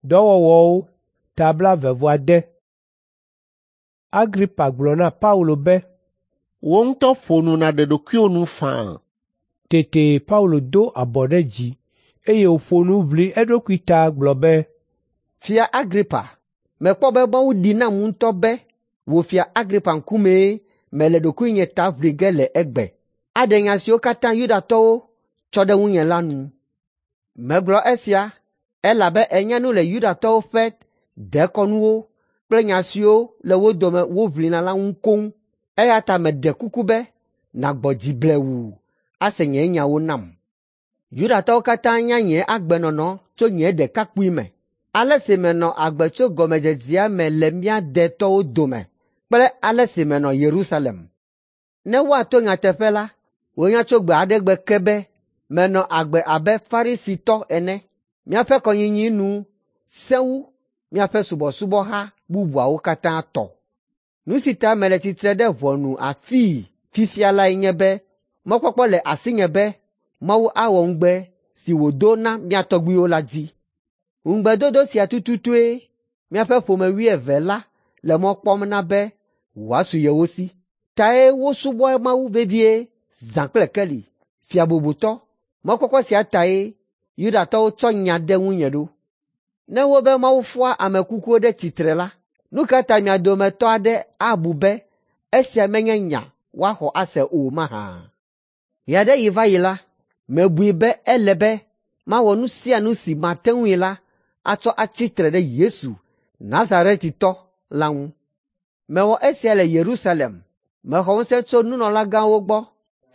Dɔwɔwɔwo ta 20. Agripa gblɔ na Paulo be, "Wò ŋutɔ ƒo nu nàɖe ɖokuiwò nu faa." Tete Paulo do abɔ ɖe dzi, eye wòƒo nu ʋli eɖokui ta gblɔ be, "Fia Agripa, mekpɔ be Mawu ɖi nam ŋutɔ be wò Fia Agripa ŋkumee mele ɖokuinye ta ʋli ge le egbe, aɖe nya siwo katã Yudatɔwo tsɔ ɖe ŋunye la nu. Megblɔ esia elabe ènya nu le Yudatɔwo ƒe dekɔnuwo kple nya siwo le wo dome woʋlina la ŋu koŋ, eya ta meɖe kuku be nàgbɔ dzi blewuu ase nye nyawo nam. Yudatɔwo katã nya nye agbenɔnɔ tso nye ɖekakpuime, ale si menɔ agbe tso gɔmedzedzea me le mía detɔwo dome kple ale si menɔ Yerusalem. Ne woato nyateƒe la, wonya tso gbe aɖe gbe ke be menɔ agbe abe Farisitɔ ene. Míaƒe kɔnyinyi nu sẽ wu míaƒe subɔsubɔha bubuawo katã tɔ. Nu si ta mele tsitre ɖe ʋɔnu afii fifia lae nye be mɔkpɔkpɔ le asinye be Mawu awɔ ŋugbe si wòdo na mía tɔgbuiwo la dzi. Ŋugbedodo sia tututue míaƒe ƒome wuieve la le mɔ kpɔm na be wòasu yewo si. Tae wosubɔa Mawu vevie zã kple keli. Fia bubutɔ, mɔkpɔkpɔ sia tae Yudatɔwo tsɔ nya ɖe ŋunye ɖo. Ne wobe Mawu fɔa ame kukuwo ɖe tsitre la, nu ka ta mia dometɔ aɖe abu be esia menye nya woaxɔ ase o mahã? Ɣe aɖe ɣi va yi la, mebui be ele be mawɔ nu sia nu si mate ŋui la atsɔ atsi tre ɖe Yesu Nazaretitɔ la ŋu. Mewɔ esia le Yerusalem. Mexɔ ŋusẽ tso nunɔlagãwo gbɔ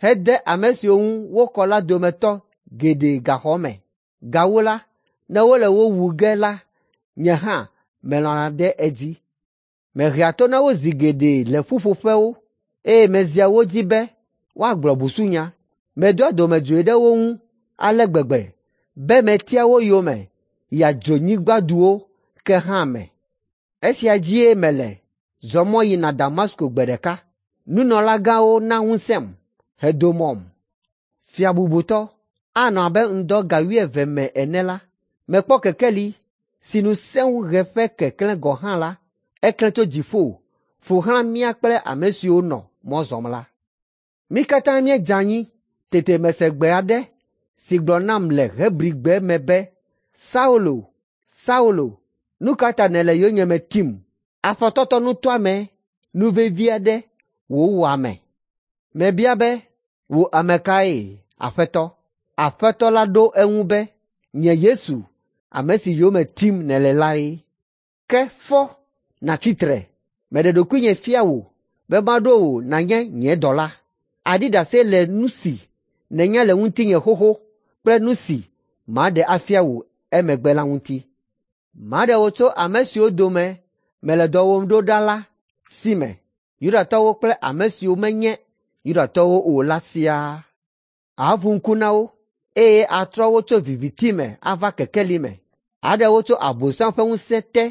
hede ame siwo ŋu wokɔ la dometɔ geɖe gaxɔ me. Gawu la, ne wole wo wu ge la, nye hã melɔ̃na ɖe edzi. Mehea to na wo zi geɖe le ƒuƒoƒewo, eye mezia wo dzi be woagblɔ busunya. Medoa dɔmedzoe ɖe wo ŋu ale gbegbe be metia wo yome yia dzronyigbaduwo ke hã me. Esia dzie mele zɔ mɔ yina Damasko gbe ɖeka. Nunɔlagãwo na ŋusẽm hedo mɔm. Fia bubutɔ, anɔ abe ŋdɔ ga wuieve me ene la, mekpɔ kekeli si nu sẽ wu ɣe ƒe keklẽ gɔ̃ hã la, eklẽ tso dziƒo ƒo xlã mía kple ame siwo nɔ mɔ zɔm la. Mí katã míedze anyi, tete mese gbe aɖe si gblɔ nam le Hebrigbe me be, ‘Saulo, Saulo, nu ka ta nèle yonyeme tim? Afɔtɔtɔnutɔame nu vevi aɖe wò ame.’ Mebia be, ‘Wò ame kae, Aƒetɔ?’ Aƒetɔ la ɖo eŋu be, ‘Nye Yesu, ame si yome tim nèle lae. Ke fɔ nàtsi tre. Meɖe ɖokuinye fia wò be maɖo wò nànye nye dɔla. Àɖi ɖase le nu si nènya le ŋutinye xoxo kple nu si maɖe afia wò emegbe la ŋuti. Maɖe wò tso ame siwo dome mele dɔ wɔm ɖo ɖa la si me, Yudatɔwo kple ame siwo menye Yudatɔwo o la siaa. Àʋu ŋku na wo, eye atrɔ wo tso viviti me ava kekeli me, aɖe wo tso Abosam ƒe ŋusẽ te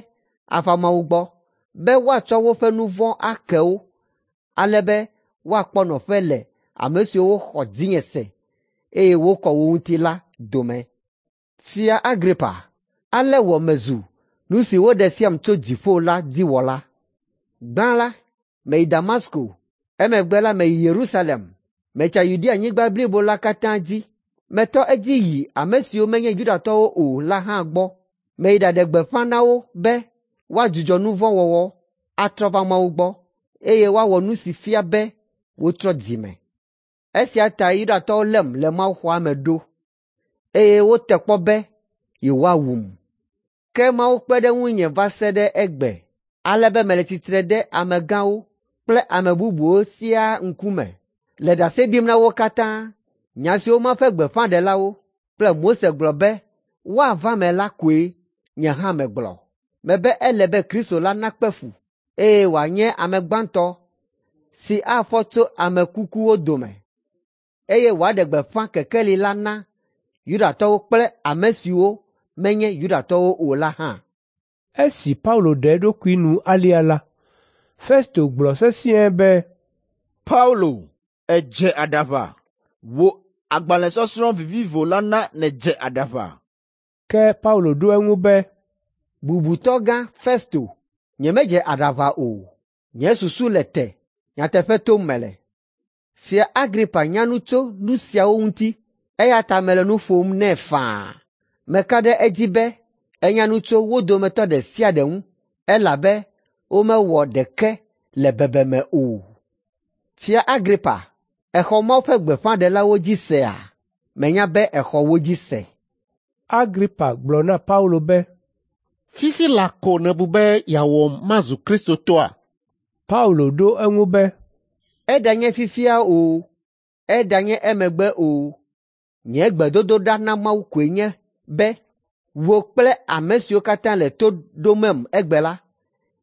ava Mawu gbɔ, be woatsɔ woƒe nu vɔ̃ ake wo, ale be woakpɔ nɔƒe le ame siwo xɔ dzinye se, eye wokɔ wo ŋuti la dome. Fia Agripa, ale wɔ mezu nu si woɖe fiam tso dziƒo la dziwɔla. Gbã la, meyi Damasko, emegbe la meyi Yerusalem, metsa Yudeanyigba blibo la katã dzi. Metɔ edzi yi ame siwo menye Yudatɔwo o la hã gbɔ. Meyi ɖaɖe gbeƒã na wo be woadzudzɔ nu vɔ̃ wɔwɔ, atrɔ va Mawu gbɔ, eye woawɔ nu si fia be wotrɔ dzi me. Esia ta Yudatɔwo lém le mawuxɔa me ɖo, eye wote kpɔ be yewoawum. Ke Mawu kpe ɖe ŋunye va se ɖe egbe, ale be mele tsitre ɖe amegãwo kple ame bubuwo siaa ŋkume le ɖase ɖim na wo katã. Nya siwo Mawu ƒe gbeƒãɖelawo kple Mose gblɔ be woava me la koe nye hã megblɔ. Mebe ele be Kristo la nakpe fu, eye wòanye ame gbãtɔ si afɔ tso ame kukuwo dome, eye wòaɖe gbeƒã kekeli la na Yudatɔwo kple ame siwo menye Yudatɔwo o la hã. Esi Paulo ɖe eɖokui nu alea la, Festo gblɔ sesĩe be, “Paulo, èdze aɖaʋa! Wò agbalẽsɔsrɔ̃ vivivo la na nèdze aɖaʋa.” Ke Paulo ɖo eŋu be, Bubutɔ gã Festo, nyemedze aɖaʋa o. Nye susu le te, nyateƒe tom mele. Fia Agripa nya nu tso nu siawo ŋuti, eya ta mele nu ƒom nɛ faa. Meka ɖe edzi be enya nu tso wo dometɔ ɖe sia ɖe ŋu, elabe womewɔ ɖeke le bebeme o. Fia Agripa, èxɔ Mawu ƒe gbeƒãɖelawo dzi sea? Menya be èxɔ wo dzi se. Agripa gblɔ na Paulo be, Fifi laa ko nèbu be yeawɔm mazu Kristotɔa? Paulo ɖo eŋu be, Eɖanye fifia o, eɖanye emegbe o, nye gbedodoɖa na Mawu koe nye be wò kple ame siwo katã le to ɖomem egbe la,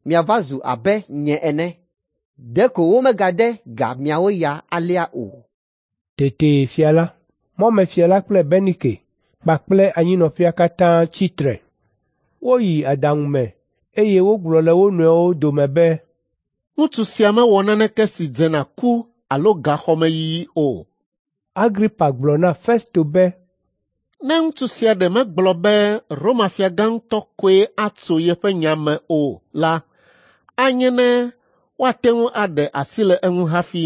miava zu abe nye ene. Ɖeko womegade ga miawo ya alea o. Tete fia la, mɔmefia la kple Bernike kpakple anyinɔƒea katã tsi tre. Woyi aɖaŋu me eye wogblɔ le wo nɔewo dome be, Ŋutsu sia mewɔ naneke si dze na ku alo gaxɔmeyiyi o. Agripa gblɔ na Festo be, Ne ŋutsu sia ɖe megblɔ be Roma fiagã ŋutɔ koe atso yeƒe nya me o la, anye ne woate ŋu aɖe asi le eŋu hafi.